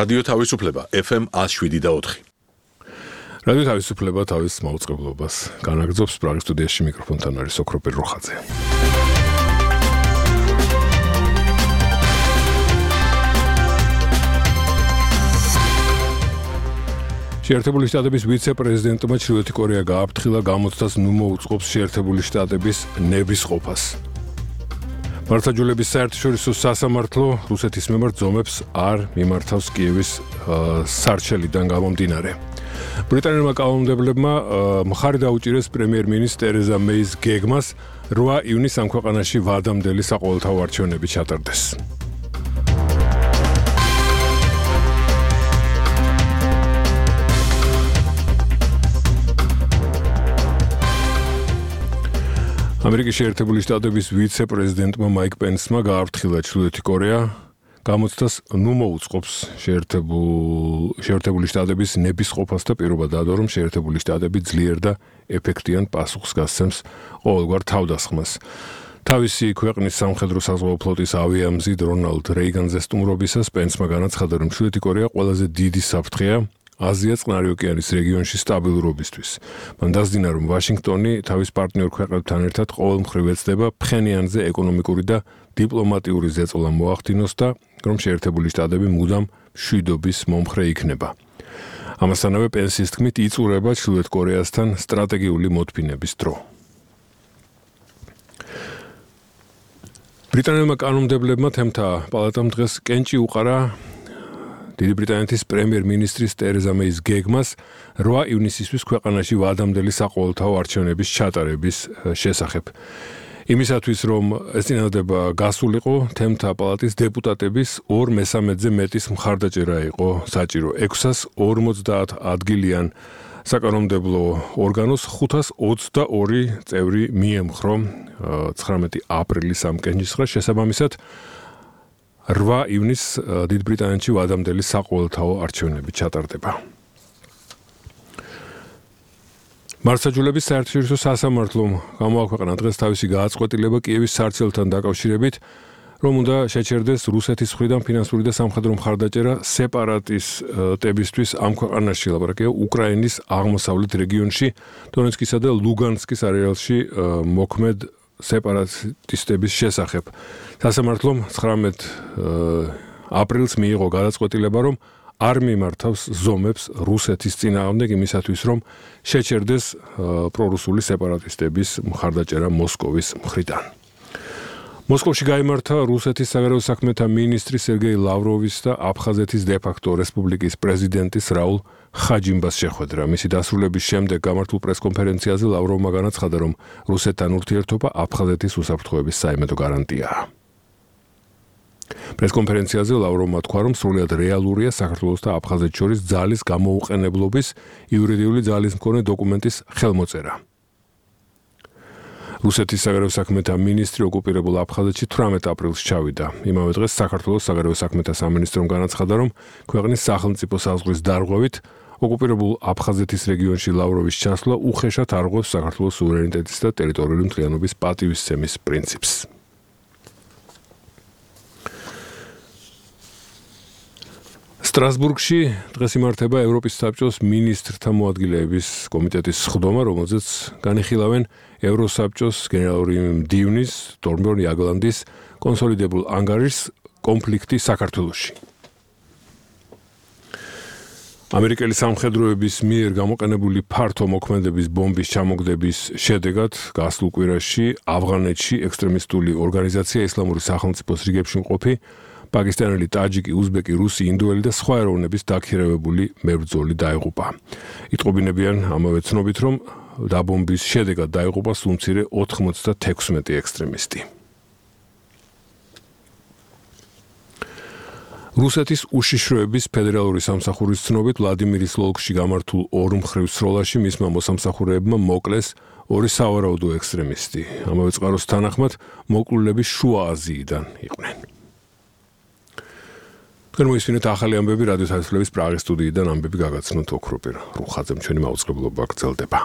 რადიო თავისუფლება FM 107.4. რადიო თავისუფლება თავის მაუწყებლობას განაგრძობს პრაღის სტუდიაში მიკროფონთან არის ოქროპირ როხაძე. შეერთებული შტატების ვიცე-პრეზიდენტმა ჩრდილოეთი კორეა გააფრთხილა გამოცდას ნუ მოუწყობს შეერთებული შტატების ნების ყოფას. მართლმსაჯულების საერთაშორისო სასამართლო რუსეთის მიმართ ზომებს არ მიმართავს კიევის სარჩელიდან გამომდინარე. ბრიტანელმა კანონმდებლებმა მხარი დაუჭირეს პრემიერ-მინისტრ ტერეზა მეის გეგმას 8 ივნისს ამ ქვეყანაში ვადამდელი საყოველთაო არჩევნები ჩატარდეს. ამერიკის შეერთებული შტატების ვიცე-პრეზიდენტმა მაიკ პენსმა გააფრთხილა ჩრდილოეთი კორეა გამოცდას ნუ მოუწყობს შეერთებული შტატების ნების ყოფას და პირობა დადო, რომ შეერთებული შტატები ძლიერ და ეფექტიან პასუხს გასცემს ყოველგვარ თავდასხმას. თავისი ქვეყნის სამხედრო საზღვაო ფლოტის ავიამზიდ რონალდ რეიგანზე სტუმრობისას პენსმა განაცხადა, რომ ჩრდილოეთი კორეა ყველაზე დიდი საფრთხეა აზია წყნარი ოკეანის რეგიონში სტაბილურობისთვის. მან დასძინა, რომ ვაშინგტონი თავის პარტნიორ ქვეყნებთან ერთად ყოველმხრივ ეცდება ფხენიანზე ეკონომიკური და დიპლომატიური ზეწოლა მოახდინოს და რომ შეერთებული შტატები მუდამ მშვიდობის მომხრე იქნება. ამასთანავე პენსის თქმით იწურება ჩრდილოეთ კორეასთან სტრატეგიული მოთმინების დრო. ბრიტანელმა კანონმდებლებმა თემთა პალატამ დღეს კენჭი უყარა დიდი ბრიტანეთის პრემიერ-მინისტრის ტერეზა მეის გეგმას 8 ივნისისთვის ქვეყანაში ვადამდელი საყოველთაო არჩევნების ჩატარების შესახებ. იმისათვის, რომ ეს წინადადება გასულიყო, თემთა პალატის დეპუტატების 2/3-ზე მეტის მხარდაჭერა იყო საჭირო. 640 ადგილიან საკანონმდებლო ორგანოს 522 წევრი მიემხრო 19 აპრილის ამ კენჭისყრას შესაბამისად 8 ივნისს დიდ ბრიტანეთში ვადამდელი საყოველთაო არჩევნები ჩატარდება. მართლმსაჯულების საერთაშორისო სასამართლომ გამოაქვეყნა დღეს თავისი გააწყვეტილება კიევის სარჩელთან დაკავშირებით, რომ უნდა შეჩერდეს რუსეთის მხრიდან ფინანსური და სამხედრო მხარდაჭერა სეპარატისტებისთვის ამ ქვეყანაში, ლაპარაკია უკრაინის აღმოსავლეთ რეგიონში, დონეცკისა და ლუგანსკის არეალში მოქმედ სეპარატისტების შესახებ. სასამართლომ 19 აპრილს მიიღო გადაწყვეტილება, რომ არ მიმართავს ზომებს რუსეთის წინააღმდეგ იმისათვის, რომ შეჩერდეს პრორუსული სეპარატისტების მხარდაჭერა მოსკოვის მხრიდან. მოსკოვში გაიმართა რუსეთის საგარეო საქმეთა მინისტრი სერგეი ლავროვის და აფხაზეთის დე-ფაქტო რესპუბლიკის პრეზიდენტის რაულ ხაჯიმბას შეხვედრა. მისი დასრულების შემდეგ გამართულ პრესკონფერენციაზე ლავროვმა განაცხადა, რომ რუსეთთან ურთიერთობა აფხაზეთის უსაფრთხოების საიმედო გარანტიაა. პრესკონფერენციაზე ლავროვმა თქვა, რომ სრულად რეალურია საქართველოს და აფხაზეთს შორის ძალის გამოუყენებლობის იურიდიული ძალის მქონე დოკუმენტის ხელმოწერა. რუსეთის საგარეო საქმეთა მინისტრი ოკუპირებულ აფხაზეთში 18 აპრილს ჩავიდა. იმავე დღეს საქართველოს საგარეო საქმეთა სამინისტრომ განაცხადა, რომ ქვეყნის სახელმწიფო საზღვრის დარღვევით ოკუპირებულ აფხაზეთის რეგიონში ლავროვის ჩასვლა უხეშად არღვევს საქართველოს სუვერენიტეტის და ტერიტორიული მთლიანობის პატივისცემის პრინციპს. სტრასბურგში დღეს იმართება ევროპის საბჭოს მინისტრთა მოადგილეების კომიტეტის სხდომა, რომელზეც განიხილავენ ევროსაბჭოს გენერალური მდივნის თორმბერნ იაგლანდის კონსოლიდებულ ანგარიშს კონფლიქტი საქართველოში. ამერიკელი სამხედროების მიერ გამოყენებული ფართო მოქმედების ბომბის ჩამოგდების შედეგად გასულ კვირაში ავღანეთში ექსტრემისტული ორგანიზაცია ისლამური სახელმწიფოს რიგებში მყოფი პაკისტანელი, ტაჯიკი, უზბეკი, რუსი, ინდოელი და სხვა ეროვნების დაქირავებული მებრძოლი დაიღუპა. იტყობინებიან ამავე ცნობით, რომ დაბომბვის შედეგად დაიღუპა სულ მცირე 96 ექსტრემისტი. რუსეთის უშიშროების ფედერალური სამსახურის ცნობით ვლადიმირის ოლქში გამართულ ორმხრივ სროლაში მისმა მოსამსახურეებმა მოკლეს 2 სავარაუდო ექსტრემისტი. ამავე წყაროს თანახმად მოკლულები შუა აზიიდან იყვნენ. თქვენ მოისმინეთ ახალი ამბები რადიო თავისუფლების პრაღის სტუდიიდან ამბები გაგაცნოთ ოქროპირ როხაძემ ჩვენი მაუწყებლობა გრძელდება.